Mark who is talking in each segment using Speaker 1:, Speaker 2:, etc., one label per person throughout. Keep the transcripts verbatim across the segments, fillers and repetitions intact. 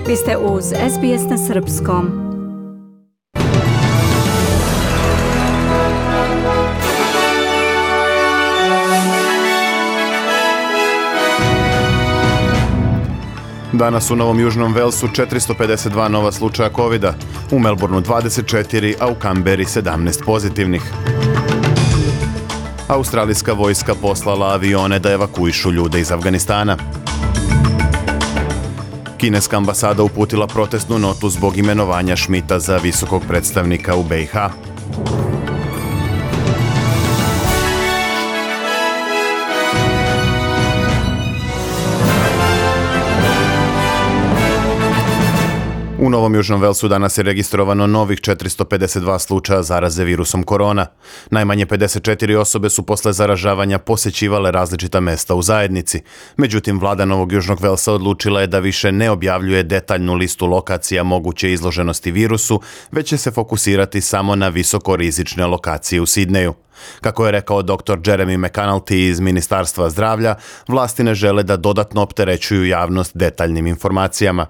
Speaker 1: Vi ste uz S B S na srpskom.
Speaker 2: Danas u Novom Južnom Velsu četiristo pedeset dva nova slučaja kovida, u Melbourneu dvadeset četiri, a u Kamberi sedamnaest pozitivnih. Australijska vojska poslala avione da evakuišu ljude iz Afganistana. Kineska ambasada uputila protestnu notu zbog imenovanja Schmidta za visokog predstavnika u B i H. U Novom Južnom Velsu danas je registrovano novih četiristo pedeset dva slučaja zaraze virusom korona. Najmanje pedeset četiri osobe su posle zaražavanja posećivale različita mesta u zajednici. Međutim, vlada Novog Južnog Velsa odlučila je da više ne objavljuje detaljnu listu lokacija moguće izloženosti virusu, već će se fokusirati samo na visokorizične lokacije u Sidneju. Kako je rekao doktor Jeremy McAnulty iz Ministarstva zdravlja, vlasti ne žele da dodatno opterećuju javnost detaljnim informacijama.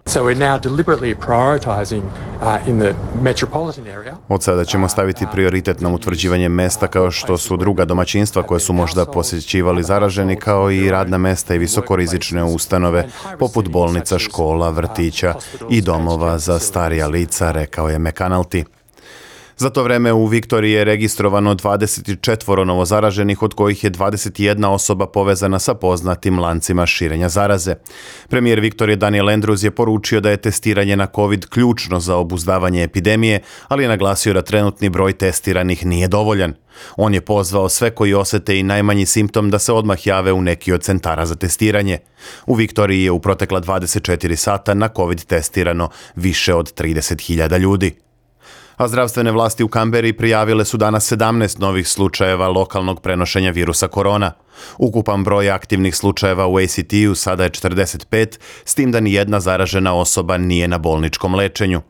Speaker 2: Od sada ćemo staviti prioritet na utvrđivanje mesta kao što su druga domaćinstva koje su možda posjećivali zaraženi, kao i radna mesta i visokorizične ustanove poput bolnica, škola, vrtića i domova za starija lica, rekao je McAnulty. Za to vreme u Viktoriji je registrovano dvadeset četiri novozaraženih, od kojih je dvadeset jedna osoba povezana sa poznatim lancima širenja zaraze. Premijer Viktorije Daniel Andrews je poručio da je testiranje na COVID ključno za obuzdavanje epidemije, ali je naglasio da trenutni broj testiranih nije dovoljan. On je pozvao sve koji osete i najmanji simptom da se odmah jave u neki od centara za testiranje. U Viktoriji je u protekla dvadeset četiri sata na COVID testirano više od trideset hiljada ljudi. A zdravstvene vlasti u Kamberi prijavile su danas sedamnaest novih slučajeva lokalnog prenošenja virusa korona. Ukupan broj aktivnih slučajeva u A C T-u sada je četrdeset pet, s tim da ni jedna zaražena osoba nije na bolničkom lečenju.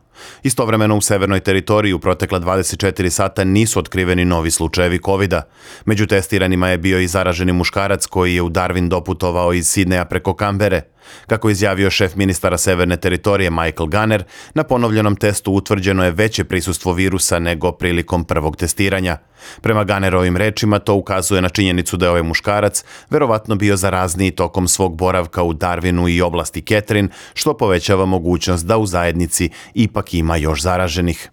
Speaker 2: Istovremeno u severnoj teritoriji u protekla dvadeset četiri sata nisu otkriveni novi slučajevi kovida. Među testiranima je bio i zaraženi muškarac koji je u Darwin doputovao iz Sidneja preko Kambere. Kako je izjavio šef ministara severne teritorije Michael Gunner, na ponovljenom testu utvrđeno je veće prisustvo virusa nego prilikom prvog testiranja. Prema Gunnerovim rečima to ukazuje na činjenicu da je ovaj muškarac verovatno bio zarazniji tokom svog boravka u Darwinu i oblasti Catherine, što povećava mogućnost da u zajednici ipak ima još zaraženih.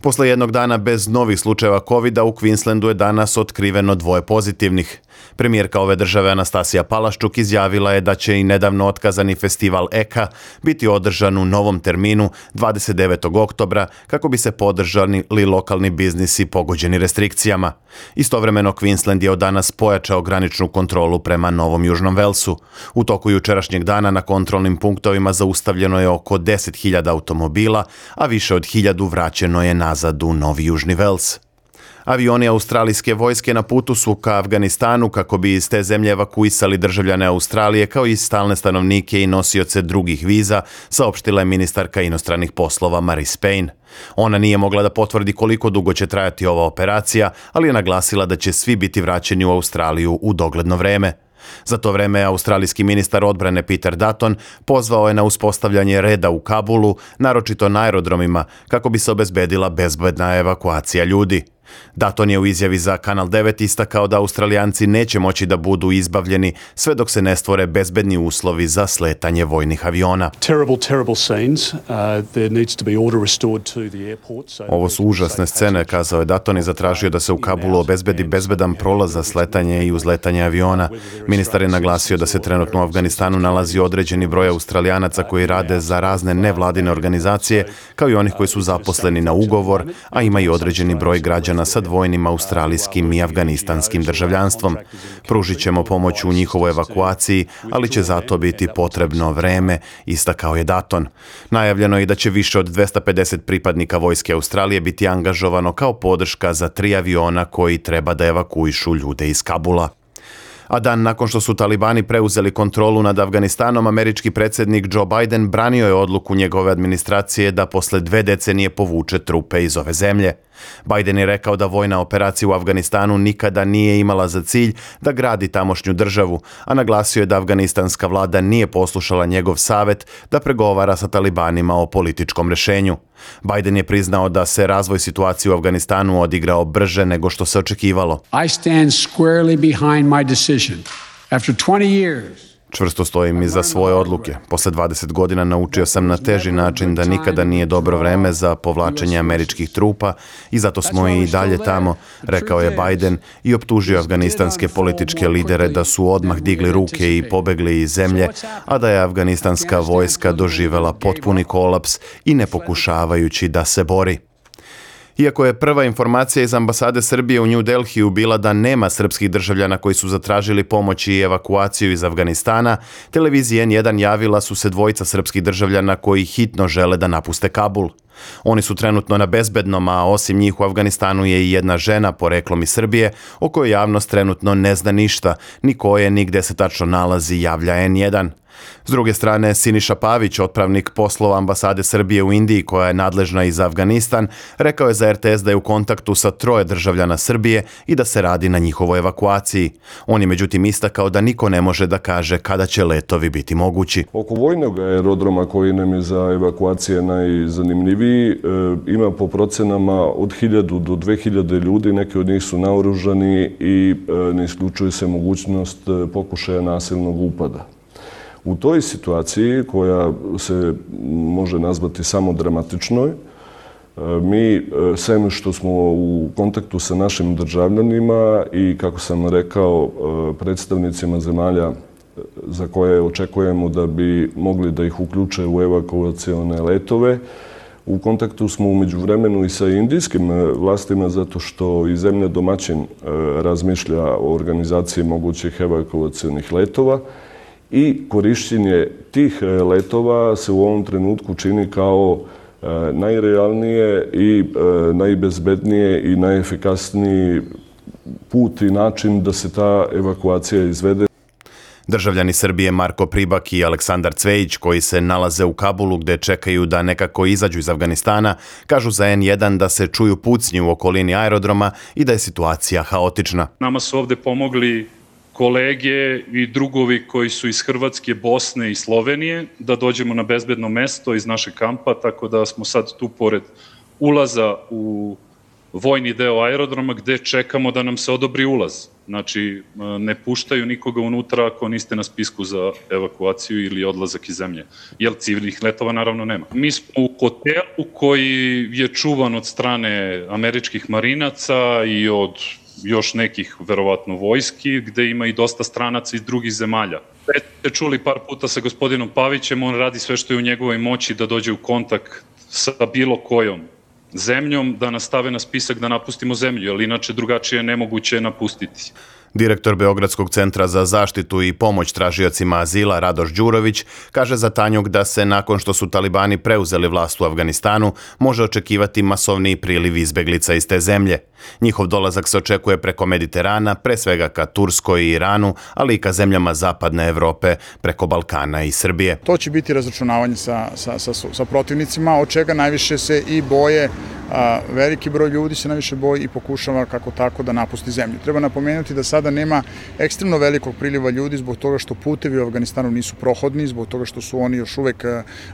Speaker 2: Posle jednog dana bez novih slučajeva kovida u Queenslandu je danas otkriveno dvoje pozitivnih. Premijerka ove države Anastasija Palaščuk izjavila je da će i nedavno otkazani festival E K A biti održan u novom terminu dvadeset devetog oktobra kako bi se podržali lokalni biznisi pogođeni restrikcijama. Istovremeno Queensland je od danas pojačao graničnu kontrolu prema Novom Južnom Velsu. U toku jučerašnjeg dana na kontrolnim punktovima zaustavljeno je oko deset hiljada automobila, a više od hiljadu vraćeno je nazad u Novi Južni Vels. Avioni australijske vojske na putu su ka Afganistanu kako bi iz te zemlje evakuisali državljane Australije kao i stalne stanovnike i nosioce drugih viza, saopštila je ministarka inostranih poslova Marise Payne. Ona nije mogla da potvrdi koliko dugo će trajati ova operacija, ali je naglasila da će svi biti vraćeni u Australiju u dogledno vreme. Za to vreme australijski ministar odbrane Peter Dutton pozvao je na uspostavljanje reda u Kabulu, naročito na aerodromima, kako bi se obezbedila bezbedna evakuacija ljudi. Dutton je u izjavi za Kanal devet istakao da Australijanci neće moći da budu izbavljeni sve dok se ne stvore bezbedni uslovi za sletanje vojnih aviona.
Speaker 3: Terrible, terrible scenes. Uh, there needs to be order restored to the airport. So
Speaker 2: Ovo su užasne scene, kazao je Dutton i zatražio da se u Kabulu obezbedi bezbedan prolaz za sletanje i uzletanje aviona. Ministar je naglasio da se trenutno u Afganistanu nalazi određeni broj Australijanaca koji rade za razne nevladine organizacije, kao i onih koji su zaposleni na ugovor, a ima i određeni broj građana sa dvojnim australijskim i afganistanskim državljanstvom. Pružit ćemo pomoć u njihovoj evakuaciji, ali će za to biti potrebno vreme, istakao je Dutton. Najavljeno je i da će više od dvesta pedeset pripadnika vojske Australije biti angažovano kao podrška za tri aviona koji treba da evakuišu ljude iz Kabula. A dan nakon što su talibani preuzeli kontrolu nad Afganistanom, američki predsjednik Joe Biden branio je odluku njegove administracije da posle dve decenije povuče trupe iz ove zemlje. Biden je rekao da vojna operacija u Afganistanu nikada nije imala za cilj da gradi tamošnju državu, a naglasio je da afganistanska vlada nije poslušala njegov savjet da pregovara sa talibanima o političkom rješenju. Biden je priznao da se razvoj situacije u Afganistanu odigrao brže nego što se očekivalo.
Speaker 4: I stand squarely behind my decision. After twenty years,
Speaker 2: Čvrsto stojim iza svoje odluke. Posle dvadeset godina naučio sam na teži način da nikada nije dobro vreme za povlačenje američkih trupa i zato smo i dalje tamo, rekao je Biden i optužio afganistanske političke lidere da su odmah digli ruke i pobegli iz zemlje, a da je afganistanska vojska doživela potpuni kolaps i ne pokušavajući da se bori. Iako je prva informacija iz ambasade Srbije u New Delhiju bila da nema srpskih državljana koji su zatražili pomoć i evakuaciju iz Afganistana, televizija N jedan javila su se dvojica srpskih državljana koji hitno žele da napuste Kabul. Oni su trenutno na bezbednom, a osim njih u Afganistanu je i jedna žena poreklom iz Srbije, o kojoj javnost trenutno ne zna ništa, ni ko je, ni gde se tačno nalazi, javlja N jedan. S druge strane, Siniša Pavić, otpravnik poslova ambasade Srbije u Indiji koja je nadležna i za Afganistan, rekao je za R T S da je u kontaktu sa troje državljana Srbije i da se radi na njihovoj evakuaciji. On je međutim istakao da niko ne može da kaže kada će letovi biti mogući.
Speaker 5: Oko vojnog aerodroma koji nam je za evakuacije najzanimljiviji, e, ima po procenama od hiljadu do dve hiljade ljudi, neki od njih su naoružani i e, ne isključuje se mogućnost pokušaja nasilnog upada. U toj situaciji, koja se može nazvati samo dramatičnoj, mi, sem što smo u kontaktu sa našim državljanima i, kako sam rekao, predstavnicima zemalja za koje očekujemo da bi mogli da ih uključe u evakuacione letove, u kontaktu smo umeđu vremenu i sa indijskim vlastima zato što i zemlja domaćin razmišlja o organizaciji mogućih evakuacionih letova. I korišćenje tih letova se u ovom trenutku čini kao najrealnije i najbezbednije i najefikasniji put i način da se ta evakuacija izvede.
Speaker 2: Državljani Srbije Marko Pribak i Aleksandar Cvejić, koji se nalaze u Kabulu gde čekaju da nekako izađu iz Afganistana, kažu za N jedan da se čuju pucnji u okolini aerodroma i da je situacija haotična.
Speaker 6: Nama su ovde pomogli kolege i drugovi koji su iz Hrvatske, Bosne i Slovenije, da dođemo na bezbedno mesto iz našeg kampa, tako da smo sad tu pored ulaza u vojni deo aerodroma gde čekamo da nam se odobri ulaz. Znači, ne puštaju nikoga unutra ako niste na spisku za evakuaciju ili odlazak iz zemlje, jer civilnih letova naravno nema. Mi smo u hotelu koji je čuvan od strane američkih marinaca i od još nekih, verovatno, vojski, gde ima i dosta stranaca iz drugih zemalja. Već ste čuli par puta sa gospodinom Pavićem, on radi sve što je u njegovoj moći da dođe u kontakt sa bilo kojom zemljom, da nas stave na spisak da napustimo zemlju, jer inače drugačije je nemoguće napustiti.
Speaker 2: Direktor Beogradskog centra za zaštitu i pomoć tražiocima azila Radoš Đurović kaže za Tanjug da se nakon što su talibani preuzeli vlast u Afganistanu može očekivati masovniji priliv izbeglica iz te zemlje. Njihov dolazak se očekuje preko Mediterana, pre svega ka Turskoj i Iranu, ali i ka zemljama zapadne Evrope, preko Balkana i Srbije.
Speaker 7: To će biti razračunavanje sa, sa, sa, sa protivnicima, od čega najviše se i boje, a, veliki broj ljudi se najviše boji i pokušava kako tako da napusti zemlju. Treba napomenuti da sada nema ekstremno velikog priliva ljudi zbog toga što putevi u Afganistanu nisu prohodni, zbog toga što su oni još uvek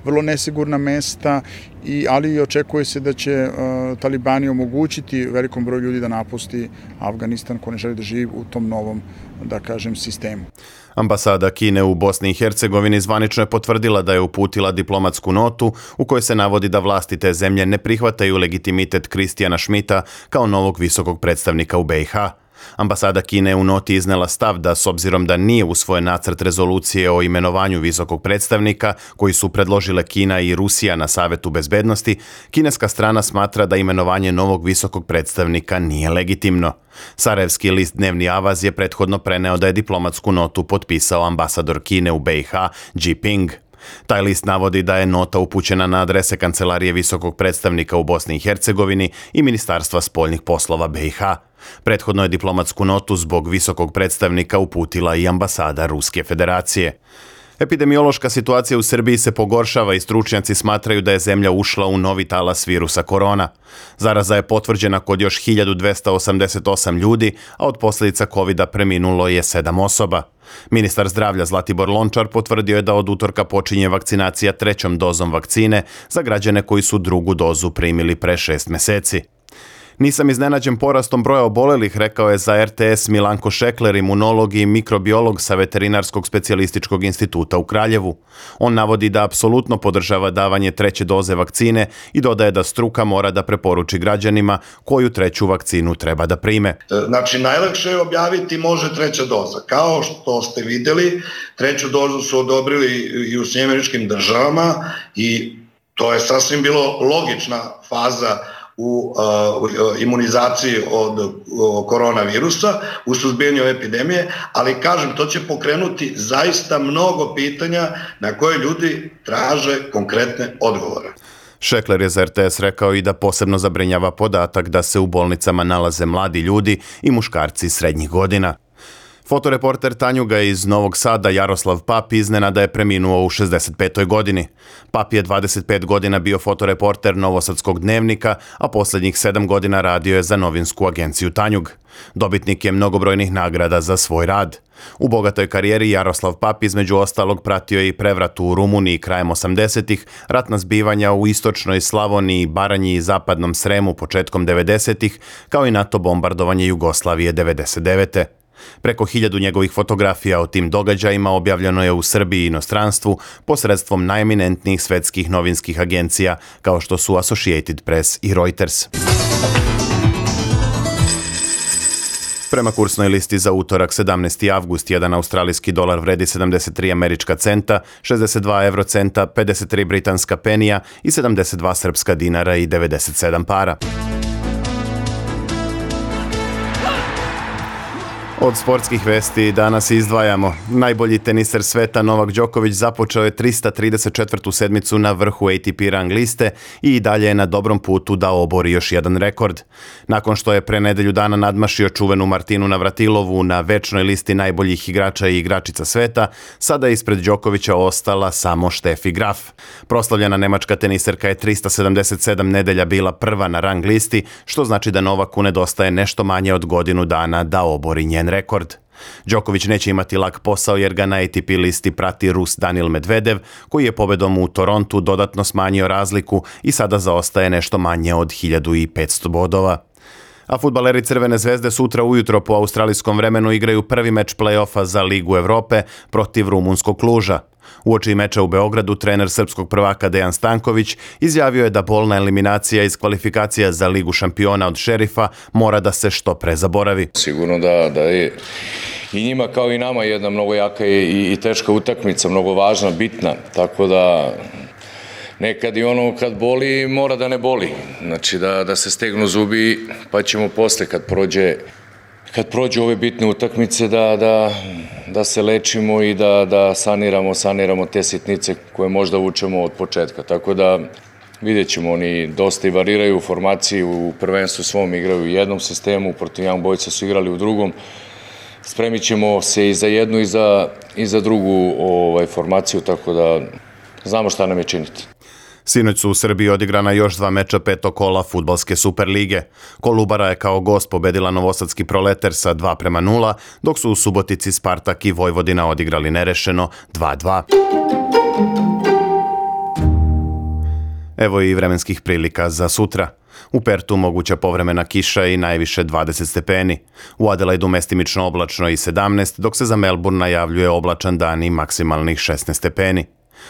Speaker 7: vrlo nesigurna mesta, i, ali očekuje se da će uh, talibani omogućiti velikom broju ljudi da napusti Afganistan ko ne želi da živi u tom novom, da kažem, sistemu.
Speaker 2: Ambasada Kine u Bosni i Hercegovini zvanično je potvrdila da je uputila diplomatsku notu u kojoj se navodi da vlasti te zemlje ne prihvataju legitimitet Kristijana Šmita kao novog visokog predstavnika u B i H. Ambasada Kine u noti iznela stav da, s obzirom da nije usvojen nacrt rezolucije o imenovanju visokog predstavnika koji su predložile Kina i Rusija na Savetu bezbednosti, kineska strana smatra da imenovanje novog visokog predstavnika nije legitimno. Sarajevski list Dnevni Avaz je prethodno preneo da je diplomatsku notu potpisao ambasador Kine u B i H, Jiping. Taj list navodi da je nota upućena na adrese Kancelarije visokog predstavnika u Bosni i Hercegovini i Ministarstva spoljnih poslova B i H. Prethodno je diplomatsku notu zbog visokog predstavnika uputila i ambasada Ruske federacije. Epidemiološka situacija u Srbiji se pogoršava i stručnjaci smatraju da je zemlja ušla u novi talas virusa korona. Zaraza je potvrđena kod još hiljadu dvesta osamdeset osam ljudi, a od posljedica kovida preminulo je sedam osoba. Ministar zdravlja Zlatibor Lončar potvrdio je da od utorka počinje vakcinacija trećom dozom vakcine za građane koji su drugu dozu primili pre šest meseci. Nisam iznenađen porastom broja obolelih, rekao je za R T S Milanko Šekler, imunolog i mikrobiolog sa Veterinarskog specijalističkog instituta u Kraljevu. On navodi da apsolutno podržava davanje treće doze vakcine i dodaje da struka mora da preporuči građanima koju treću vakcinu treba da prime.
Speaker 8: Znači, najlakše je objaviti može treća doza. Kao što ste videli, treću dozu su odobrili i u Sjedinjenim Američkim Državama i to je sasvim bilo logična faza u uh, imunizaciji od uh, koronavirusa, u suzbijanju epidemije, ali kažem, to će pokrenuti zaista mnogo pitanja na koje ljudi traže konkretne odgovore.
Speaker 2: Šekler je za R T S rekao i da posebno zabrinjava podatak da se u bolnicama nalaze mladi ljudi i muškarci srednjih godina. Fotoreporter Tanjuga iz Novog Sada Jaroslav Pap iznenada je preminuo u šezdeset petoj godini. Pap je dvadeset pet godina bio fotoreporter Novosadskog dnevnika, a posljednjih sedam godina radio je za novinsku agenciju Tanjug. Dobitnik je mnogobrojnih nagrada za svoj rad. U bogatoj karijeri Jaroslav Pap između ostalog pratio je i prevrat u Rumuniji krajem osamdesetih, ratna zbivanja u istočnoj Slavoniji, Baranji i zapadnom Sremu početkom devedesetih, kao i NATO bombardovanje Jugoslavije devedeset devete. Preko hiljadu njegovih fotografija o tim događajima objavljeno je u Srbiji i inostranstvu posredstvom najeminentnijih svetskih novinskih agencija kao što su Associated Press i Reuters. Prema kursnoj listi za utorak sedamnaesti avgust, jedan australijski dolar vredi sedamdeset tri američka centa, šezdeset dva evrocenta, pedeset tri britanska penija i sedamdeset dva srpska dinara i devedeset sedam para. Od sportskih vesti danas izdvajamo. Najbolji teniser sveta Novak Đoković započeo je trista trideset četvrtu sedmicu na vrhu A T P rang liste i dalje je na dobrom putu da obori još jedan rekord. Nakon što je pre nedelju dana nadmašio čuvenu Martinu Navratilovu na večnoj listi najboljih igrača i igračica sveta, sada je ispred Đokovića ostala samo Steffi Graf. Proslavljena nemačka teniserka je trista sedamdeset sedam nedelja bila prva na rang listi, što znači da Novaku nedostaje nešto manje od godinu dana da obori njen rekord. Đoković neće imati lak posao jer ga na A T P listi prati Rus Danil Medvedev, koji je pobedom u Torontu dodatno smanjio razliku i sada zaostaje nešto manje od hiljadu petsto bodova. A fudbaleri Crvene zvezde sutra ujutro po australijskom vremenu igraju prvi meč play-offa za Ligu Evrope protiv rumunskog Kluža. Uoči meča u Beogradu trener srpskog prvaka Dejan Stanković izjavio je da bolna eliminacija iz kvalifikacija za Ligu šampiona od Šerifa mora da se što pre zaboravi.
Speaker 9: Sigurno da, da je i njima kao i nama jedna mnogo jaka i, i teška utakmica, mnogo važna, bitna, tako da nekad i ono kad boli mora da ne boli, znači da, da se stegnu zubi pa ćemo posle kad prođe kad prođu ove bitne utakmice da, da, da se lečimo i da, da saniramo, saniramo te sitnice koje možda vučemo od početka. Tako da vidjet ćemo, oni dosta i variraju u formaciji, u prvenstvu svom igraju u jednom sistemu, protiv Young Boysa su igrali u drugom. Spremit ćemo se i za jednu i za, i za drugu ovaj, formaciju, tako da znamo šta nam je činiti.
Speaker 2: Sinoć su u Srbiji odigrana još dva meča petog kola fudbalske Superlige. Kolubara je kao gost pobedila novosadski Proleter sa dva prema nula, dok su u Subotici Spartak i Vojvodina odigrali nerešeno dva dva. Evo i vremenskih prilika za sutra. U Pertu moguća povremena kiša i najviše dvadeset stepeni. U Adelaidu mestimično oblačno i sedamnaest, dok se za Melbourne najavljuje oblačan dan i maksimalnih šesnaest stepeni.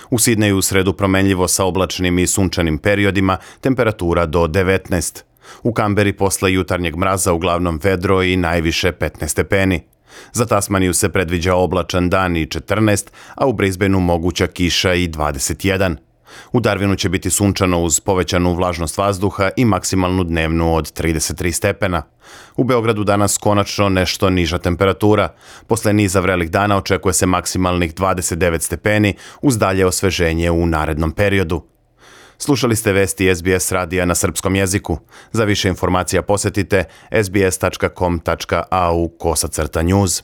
Speaker 2: U Sidneju u sredu promenljivo sa oblačnim i sunčanim periodima, temperatura do devetnaest. U Kamberi posle jutarnjeg mraza uglavnom vedro i najviše petnaest stepeni. Za Tasmaniju se predviđa oblačan dan i četrnaest, a u Brisbaneu moguća kiša i dvadeset jedan. U Darwinu će biti sunčano uz povećanu vlažnost vazduha i maksimalnu dnevnu od trideset tri stepena. U Beogradu danas konačno nešto niža temperatura. Posle niza vrelih dana očekuje se maksimalnih dvadeset devet stepeni uz dalje osveženje u narednom periodu. Slušali ste vesti S B S radija na srpskom jeziku. Za više informacija posetite s b s tačka com tačka a u kosacrta news.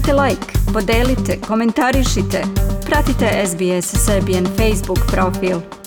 Speaker 1: Kliknite like, podelite, komentarišite. Pratite S B S Serbian Facebook profil.